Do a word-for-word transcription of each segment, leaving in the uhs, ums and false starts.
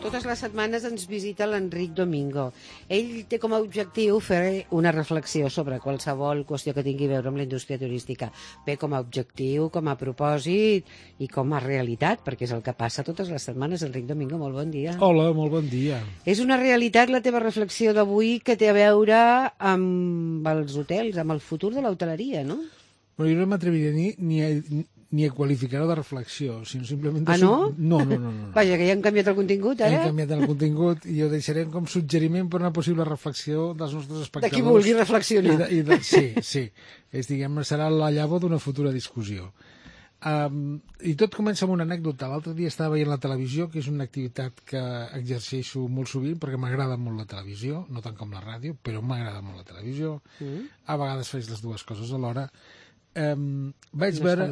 Totes les setmanes ens visita l'Enric Domingo. Ell té com a objectiu fer una reflexió sobre qualsevol qüestió que tingui a veure amb la indústria turística. Bé, com a objectiu, com a propòsit i com a realitat, perquè és el que passa totes les setmanes. Enric Domingo, molt bon dia. Hola, molt bon dia. És una realitat la teva reflexió d'avui que té a veure amb els hotels, amb el futur de l'hoteleria, no? Però jo no m'atreviria ni, ni, a, ni a qualificar-ho de reflexió, sinó simplement... Ah, no? No, no, no, no. Vaja, que ja hem canviat el contingut, ara? Hem canviat el contingut i ho deixarem com suggeriment per una possible reflexió dels nostres espectadors. De qui vulgui reflexionar. I de, i de, sí, sí. És, diguem, serà la llavor d'una futura discussió. Um, I tot comença amb una anècdota. L'altre dia estava veient la televisió, que és una activitat que exerceixo molt sovint perquè m'agrada molt la televisió, no tant com la ràdio, però m'agrada molt la televisió. Mm. A vegades faig les dues coses alhora. Um, vaig, no veure,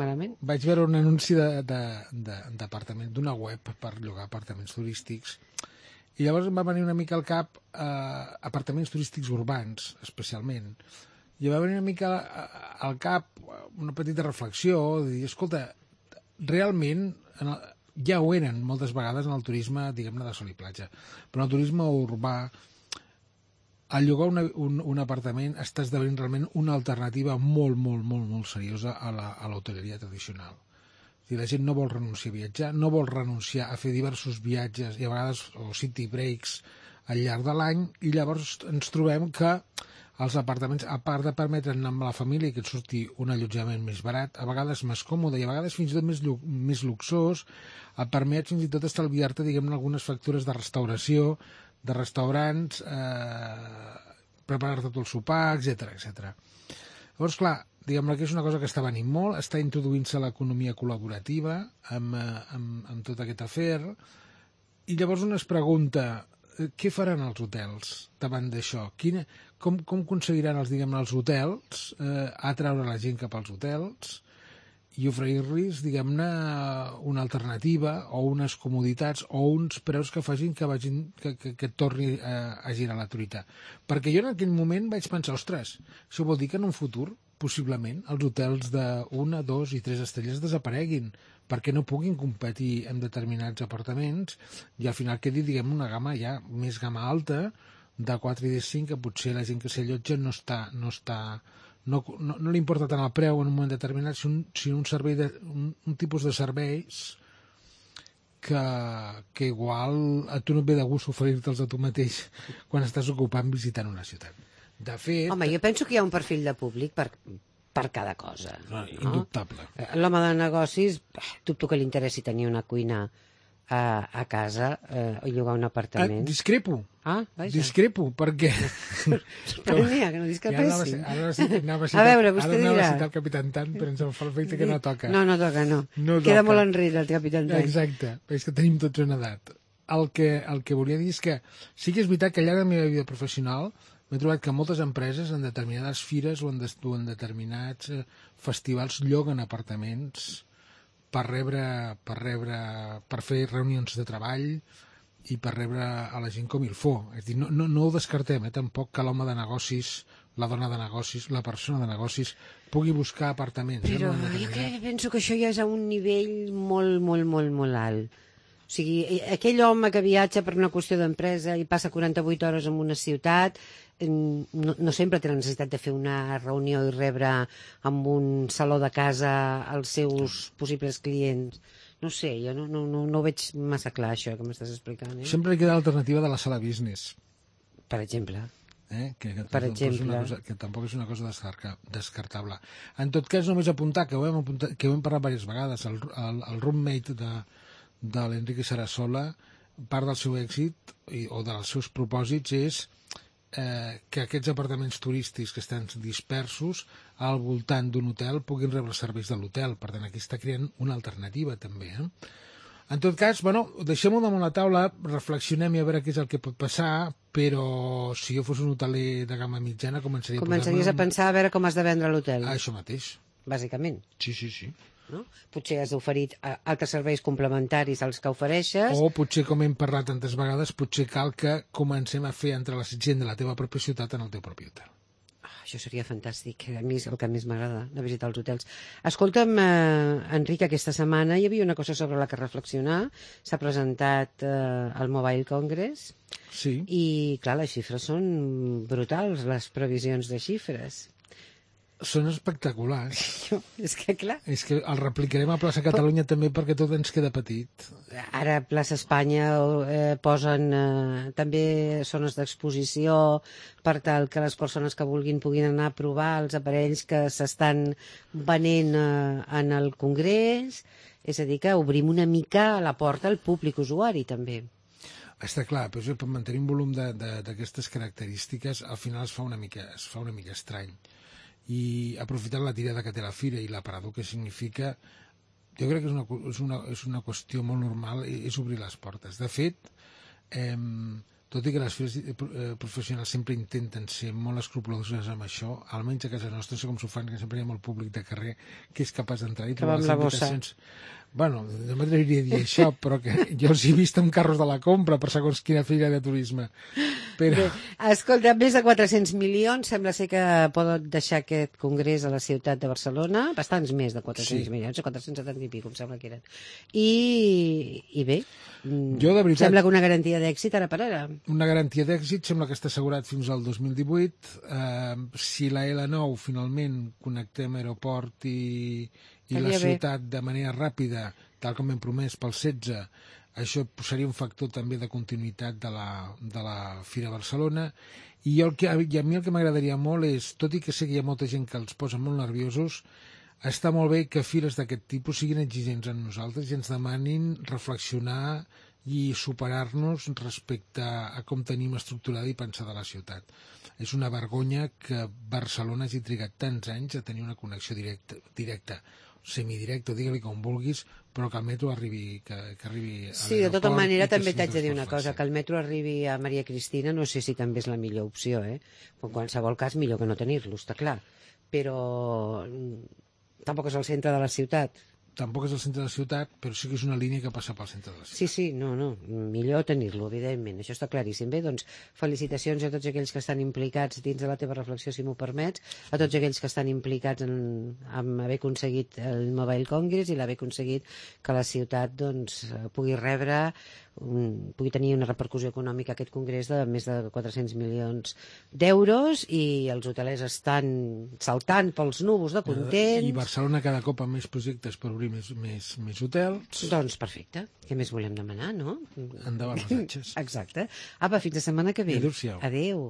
vaig veure un anunci d'apartament, d'una web per llogar apartaments turístics, i llavors em va venir una mica al cap uh, apartaments turístics urbans, especialment, i em va venir una mica al cap una petita reflexió de dir, escolta, realment en el, ja ho eren moltes vegades en el turisme, diguem-ne, de sol i platja, però en el turisme urbà al llogar una, un, un apartament està esdevenint realment una alternativa molt, molt, molt, molt seriosa a l'hoteleria tradicional. O sigui, la gent no vol renunciar a viatjar, no vol renunciar a fer diversos viatges i a vegades o city breaks al llarg de l'any, i llavors ens trobem que els apartaments, a part de permetre'n amb la família que et surti un allotjament més barat, a vegades més còmode i a vegades fins i tot més, més luxós, et permet fins i tot estalviar-te, diguem-ne, algunes factures de restauració, de restaurants, eh, preparar-te tot el sopar, etcètera, etcètera. Llavors, clar, diguem-ne que és una cosa que està venint molt, està introduint-se l'economia col·laborativa amb, amb, amb tot aquest afer, i llavors un es pregunta, què faran els hotels davant d'això? Quina, com, com aconseguiran els, diguem-ne, els hotels eh, atraure la gent cap als hotels i oferir-los, diguem-ne, una alternativa o unes comoditats o uns preus que facin que, vagin, que, que, que torni a, a girar la truita. Perquè jo en aquell moment vaig pensar, ostres, això vol dir que en un futur, possiblement, els hotels d'una, dos i tres estrelles desapareguin, perquè no puguin competir amb determinats apartaments i al final quedi, diguem, una gamma ja més gamma alta de quatre i de cinc, que potser la gent que s'allotja no està... No està No, no, no li importa tant el preu en un moment determinat, sinó un, sinó un, servei de, un, un tipus de serveis que, que igual a tu no et ve de gust oferir-te'ls a tu mateix quan estàs ocupant visitant una ciutat. De fet... Home, jo penso que hi ha un perfil de públic per, per cada cosa. No, indubtable. No? L'home de negocis, dubto que li interessi tenir una cuina a, a casa eh, o llogar un apartament. Ah, discrepo. Ah, vaja. Discrepo, perquè... Sorprenia, que no discrepessin. Ja anava a, ara anava a, citar, a veure, vostè ara anava dirà. a citar el Capitán Tan, però ens en fa l'efecte que no toca. No, no toca, no. no Queda toca. molt enrere el Capitán Tan. Exacte, és que tenim tots una edat. El que, el que volia dir és que sí que és veritat que al llarg de la meva vida professional m'he trobat que moltes empreses en determinades fires o en, des, o en determinats eh, festivals lloguen apartaments per rebre, per rebre, per fer reunions de treball i per rebre a la gent com il faut. És dir, no, no, no ho descartem, eh, tampoc que l'home de negocis, la dona de negocis, la persona de negocis pugui buscar apartaments. Però eh, jo que penso que això ja és a un nivell molt, molt, molt, molt alt. O sigui, aquell home que viatja per una qüestió d'empresa i passa quaranta-vuit hores en una ciutat, no, no sempre té la necessitat de fer una reunió i rebre amb un saló de casa els seus possibles clients. No sé, jo no, no, no, no ho veig massa clar, això que m'estàs explicant. Eh? Sempre queda l'alternativa de la sala business. Per exemple. Eh? Que, que, per exemple. Cosa, que tampoc és una cosa descartable. En tot cas, només apuntar, que ho hem, apuntat, que ho hem parlat diverses vegades, el, el, el roommate de, de l'Enrique Sarasola, part del seu èxit i, o dels seus propòsits és eh, que aquests apartaments turístics que estan dispersos al voltant d'un hotel puguin rebre els serveis de l'hotel. Per tant, aquí està creant una alternativa també. Eh? En tot cas, bueno, deixem-ho damunt la taula, reflexionem i a veure què és el que pot passar, però si jo fos un hoteler de gamma mitjana començaria Començaries a, a pensar a veure com has de vendre l'hotel. Això mateix. Bàsicament. Sí, sí, sí. No? Potser has oferit altres serveis complementaris als que ofereixes. O potser, com hem parlat tantes vegades, potser cal que comencem a fer entre la gent de la teva pròpia ciutat en el teu propi hotel. Ah, això seria fantàstic, a mi és el que més m'agrada, de visitar els hotels. Escolta'm, eh, Enric, aquesta setmana hi havia una cosa sobre la que reflexionar. S'ha presentat eh, el Mobile Congress Sí. i, clar, les xifres són brutals, les previsions de xifres. Són espectaculars. Jo, és que, clar, És que el replicarem a Plaça Catalunya també perquè tot ens queda petit. ara a Plaça Espanya eh, posen eh, també zones d'exposició per tal que les persones que vulguin puguin anar a provar els aparells que s'estan venent eh, en el Congrés. És a dir, que obrim una mica la porta al públic usuari, també. Està clar, però per mantenir un volum de- de- d'aquestes característiques al final es fa una mica, es fa una mica estrany. I aprofitant la tirada que té la fira i l'aparador que significa, jo crec que és una, és una, és una qüestió molt normal, és obrir les portes. De fet, eh, tot i que les fires eh, professionals sempre intenten ser molt escrupoloses amb això, almenys a casa nostra sé com s'ho fan, que sempre hi ha molt públic de carrer que és capaç d'entrar i Que va amb la bossa. Bueno, no m'atreviria a dir això, però que jo els he vist amb carros de la compra per segons quina fira de turisme. Però... Bé, escolta, més de quatre-cents milions, sembla ser que poden deixar aquest congrés a la ciutat de Barcelona, bastants més de quatre-cents Sí. milions, quatre-cents setanta i pico, em sembla que eren. I, i bé, mm, Jo, de veritat- sembla que una garantia d'èxit ara per ara. Una garantia d'èxit sembla que està assegurat fins al dos mil divuit. Eh, si la L nou finalment connectem aeroport i, i la Estaria bé. ciutat de manera ràpida, tal com hem promès pel setze, això seria un factor també de continuïtat de la, de la Fira Barcelona. I, jo el que, i a mi el que m'agradaria molt és, tot i que sé que hi ha molta gent que els posa molt nerviosos, està molt bé que fires d'aquest tipus siguin exigents amb nosaltres i ens demanin reflexionar i superar-nos respecte a com tenim estructurada i pensada la ciutat. És una vergonya que Barcelona hagi trigat tants anys a tenir una connexió directa, directa semidirecta, digue-li com vulguis, però que el metro arribi, que, que arribi a Sí, de tota l'aeroport manera i que també sigui t'haig de dir una transport cosa, fàcil. que el metro arribi a Maria Cristina no sé si també és la millor opció, eh? En qualsevol cas, millor que no tenir-lo, està clar. Però mm, tampoc és el centre de la ciutat. Tampoc és el centre de la ciutat, però sí que és una línia que passa pel centre de la ciutat. Sí, sí, no, no, millor tenir-lo, evidentment, això està claríssim. Bé, doncs, felicitacions a tots aquells que estan implicats dins de la teva reflexió, si m'ho permets, a tots aquells que estan implicats en, en haver aconseguit el Mobile Congress i l'haver aconseguit que la ciutat doncs, pugui rebre, un, pugui tenir una repercussió econòmica aquest congrés de més de quatre-cents milions d'euros i els hotelers estan saltant pels núvols de contents. I Barcelona cada cop amb més projectes per obrir més, més, més hotels. Doncs perfecte, què més volem demanar, no? Endavant les atxes. Exacte. Apa, fins la setmana que ve. Adéu-siau. Adéu.